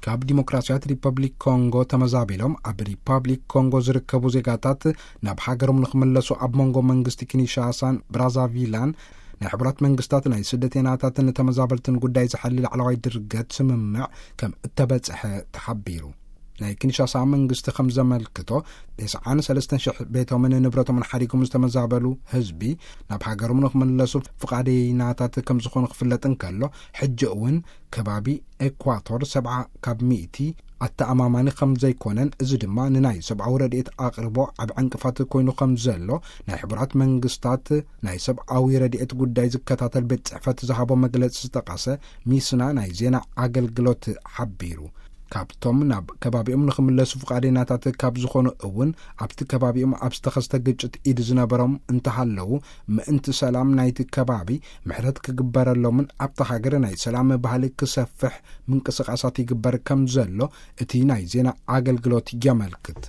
ካብ ዲሞክራሲያዊት ሪፐብሊክ ኮንጎ ተመዛቢሎም ኣብ ሪፐብሊክ ኮንጎ ዝርከቡ ዜጋታት ናብ ሃገሮም ንኽምለሱ ኣብ መንጎ መንግስቲ ኪንሻሳን ብራዛቪላን ናይ ሕቡራት መንግስታት ናይ ስደተይናታትን ተመዛበልትን ጉዳይ ዝሓሊ ላዕለዋይ ድርገት ስምምዕ ከም እተበጽሐ ተሓቢሩ። ናይ ኪንሻሳ መንግስቲ ከም ዘመልክቶ፣ ተስዓን ሰለስተን ሽሕ ቤቶምን ንብረቶምን ሓዲጎም ዝተመዛበሉ ህዝቢ ናብ ሃገሮም ንኽምለሱ ፍቓደይናታት ከም ዝኾኑ ክፍለጥ እንከሎ፣ ሕጂ እውን ከባቢ ኤኳቶር ሰብዓ ካብ ሚእቲ ኣተኣማማኒ ከም ዘይኮነን፣ እዚ ድማ ንናይ ሰብኣዊ ረድኤት ኣቕርቦ ዓብ ዕንቅፋት ኮይኑ ከም ዘሎ ናይ ሕቡራት መንግስታት ናይ ሰብኣዊ ረድኤት ጉዳይ ዝከታተል ቤት ጽሕፈት ዝሃቦ መግለጺ ዝጠቐሰ ሚስና ናይ ዜና ኣገልግሎት ሓቢሩ። ካብቶም ናብ ከባቢኦም ንኽምለሱ ፍቓደይናታት ካብ ዝኾኑ እውን ኣብቲ ከባቢኦም ኣብ ዝተኸስተ ግጭት ኢድ ዝነበሮም እንተሃለዉ፣ ምእንቲ ሰላም ናይቲ ከባቢ ምሕረት ክግበረሎምን ኣብታ ሃገር ናይ ሰላም ባህሊ ክሰፍሕ ምንቅስቓሳት ይግበር ከም ዘሎ እቲ ናይ ዜና ኣገልግሎት የመልክት።